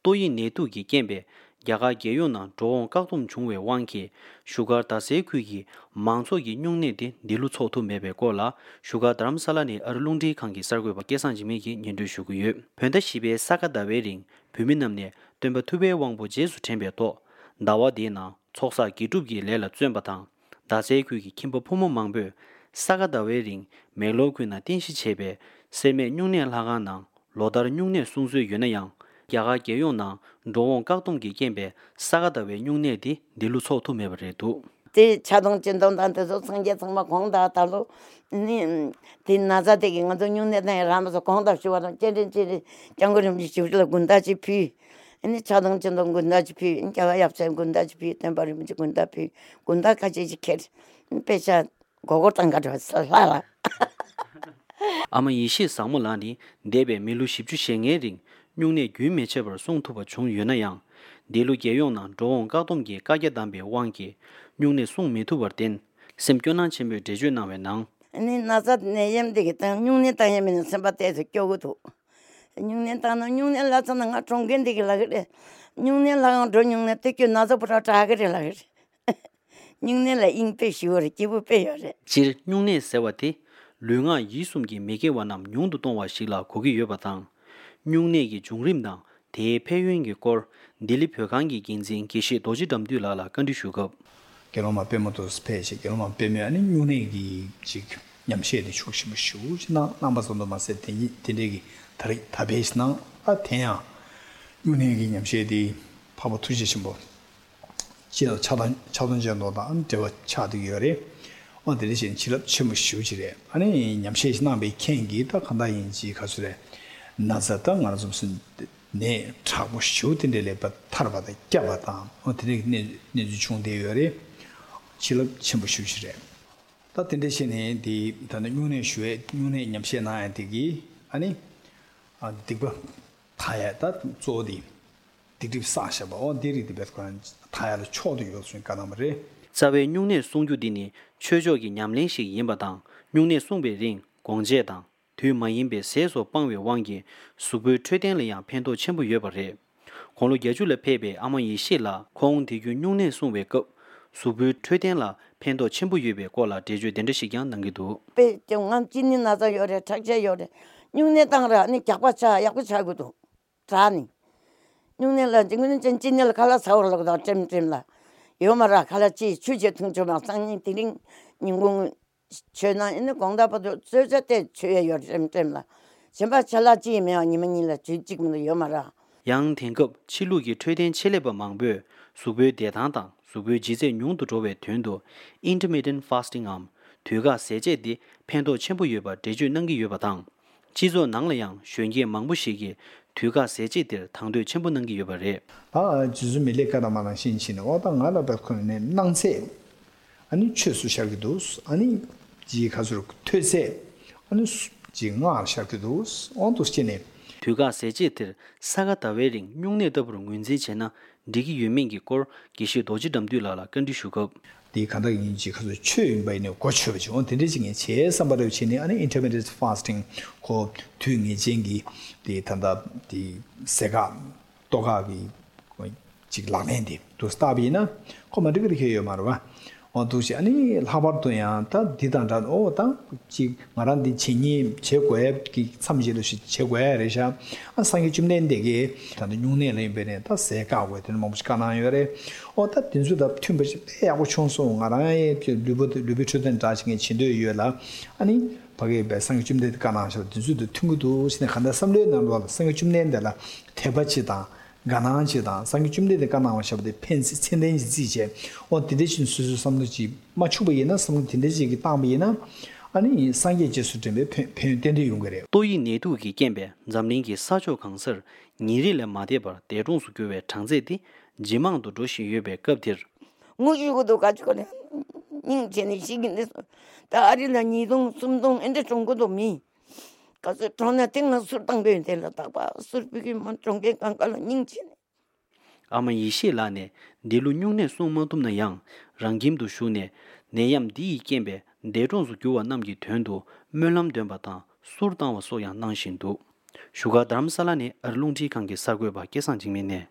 또이 내두기 겜베 야가 개요나 조원 각동 중외 왕기 슈가 다세퀴기 망소기 뇽네디 딜루 초토 메베고라 슈가 드람살라니 얼룽디 칸기 서고바 계산지미기 년두슈구유 펜다시베 사가다웨링 뷰민남네 덴바 투베 왕보 제수 템베도 나와디나 촉사 기두기 레라 쯨바탕 다세퀴기 김보 포모 망베 사가다웨링 멜로퀴나 딘시체베 세메 뇽네 라가나 로다르 뇽네 숭수 유네양 야가 개요나 로원 각동기 겜베 사가다웨 뇽네디 딜루 초토 메베레도 대 자동 진동단에서 성계 정말 공다달로 니 딘나자되게 가서 뇽네에 라면서 공다시와는 젠젠젠 정거림 지우들 군다지피 아니 자동 진동 군다지피 인자가 yapsam 군다지피 템버리면 군다피 군다까지 지켜 배차 고고땅 가져왔어 라라 아마 이시 상물라니 데베 밀루 십주 셴게링 뇽네 규메체버 송토바 총유나양 딜루 개용나 조원 각동기 가게담베 왕기 뇽네 송메투버된 셈교난 쳔베 제주나웨낭 아니 나자 내염되겠다 뇽네 땅에면 선바대에서 교고도 뇽네 땅은 뇽네 라자는 가 종견되기라 그래 뇽네 라가 뇽네 때교 나자부터 자그래라 그래 뇽네라 인페시오르 기부페요레 질 뇽네 세와티 르nga 이숨기 메게와남 뇽도 동와시라 고기 여바당 뇽네기 중림당 대패윤기 꼴 딜리표강기 긴진 기시 도지담듀라라 컨디슈급 게로마 페모토 스페이시 게로마 페미아니 뇽네기 직 냠셰디 쇼시무슈나 남바선도 마세 딘데기 다리 다베스나 아테야 뇽네기 냠셰디 파보 투지심보 지도 차단전도다 안되어 차득이래 어디리신 지럽 치무슈지래 아니 냠셰시나 베켄기 다 간다인지 가수래 나자당 알아서 무슨 네 차고 쇼든데레 타르바다 꺄바다 어떻게 네 중대열에 지럽 침부슈시래 다 딘데신이 디 다는 윤의 슈에 윤의 냠셰나야 되기 아니 아 디고 타야다 조디 디디 사샤바 어디리디 베스관 타야를 초도 요소인 까나마레 자베 뇽네 송주디니 최저기 냠린식 임바당 뇽네 송베링 공제당 뒤마인베 세소 방외 왕기 수부 최된리양 편도 첨부 여버레 공로 예주레 페베 아마이 시라 공디규 뇽네 송베급 수부 최된라 편도 첨부 여베 고라 대주 된드시경 능기도 배 정한 진이 나자 요래 착제 요래 뇽네 땅라 아니 약과차 약과차고도 자니 뇽네라 지금은 진진을 갈라 사오려고 잼잼라 요마라 갈라치 주제 통조마 상님 딩 인공 전화 있는 공답도 저저때 죄요 잼잼라 전바 잘라지면 니면이라 지금도 요마라 양텐급 칠루기 최된 칠레버 망베 수베 대당당 수베 지제 뇽도 조베 된도 intermittent fasting arm 뒤가 세제디 편도 첨부 여바 대주 능기 여바당 지조 낭려양 쉔게 망부시기 뒤가 세제들 당도 첨부 능기 여바레 아 지주 밀레카다마나 신신은 어당하나 백코네 낭세 아니 최수샤기도 아니 지 가수로 퇴세 아니 지가 샤기도 온도스티네 뒤가 세제들 사가다웨링 뇽네더브로 문제제나 디기 유명기 꼴 기시 도지담들라라 컨디슈급 디 간다인지 가서 최인바이네 고쳐버지 온데지게 제삼바로 치네 아니 intermittent fasting 고 뒤에 쟁기 디 단다 디 세가 도가기 지 라멘디 또 스타비나 코마르 그렇게 해요 말아 어두시 아니 라바르도야 다 디단다 오다지 마란디 치니 제고에 기 삼지르시 제고에레샤 한 상이 좀 낸데게 다는 용내는 베네 다 세가고 되는 몸스카나요레 어다 딘주다 튠버시 배하고 총송 알아에 르비트된 자신의 진도유라 아니 바게 배상이 좀 되까나셔 딘주도 튠고도 신의 간다 삼려는 상이 좀 낸데라 대바치다 가나지다 상기 줌데데 가나와샤데 펜스 첸덴지 지제 어 디데신 수수 삼르지 마추베이나 삼 딘데지기 땅베이나 아니 상게 제수데메 펜덴데 용거래요 또이 내두기 겜베 잠링기 사조 강설 니리레 마데버 대종수 교회 장제디 지망도 도시 예배 급dir 무주고도 가지고네 닝제니 시긴데 다리나 니동 숨동 엔데 종고도 미 가서 전에 땡나 술당배 될다 봐. 술비기만 종게 깡깔 닝치네. 아마 이시라네 딜루 뇽네 송모둠나 양 랑김도 슈네 내얌 디 겜베 대종수 교와 남기 된도 멸람된 바다 술당와 소양 낭신도 슈가 다람살라니 얼룽지 관계 sargwe ba kesan jingme ne